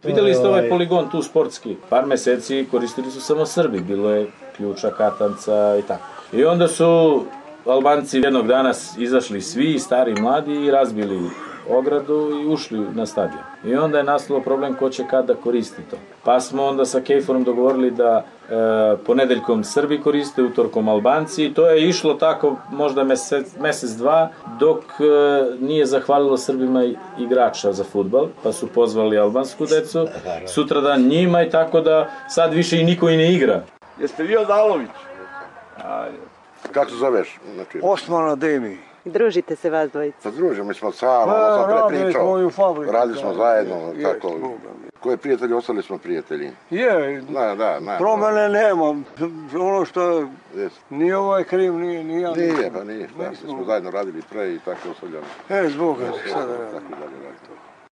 Vidjeli ste ovaj poligon tu sportski, par meseci koristili su samo Srbi, bilo je ključa, katanca i tako. I onda su Albanci jednog dana izašli svi, stari i mladi, i razbili ogradu i ušli na stadion. I onda je nastalo problem ko će kada koristi to. Pa smo onda sa Kejforom dogovorili da ponedeljkom Srbi koriste, utorkom Albanci, i to je išlo tako možda mesec, dva, dok nije zahvalilo Srbima igrača za fudbal, pa su pozvali albansku decu, sutradan njima, i tako da sad više i niko i ne igra. Jeste vi od Alović? Kako se zoveš? Osman Ademi. Družite se vas dvojica? Pa družimo, mi smo samo, sam prepričao, radili smo zajedno, tako. Koje prijatelji, ostali smo prijatelji. Je, promene nema, ono što nije ovaj kriv, nije ja. Nije, pa nije, mi smo zajedno radili pre i tako ostavljamo. Zbog sada radimo.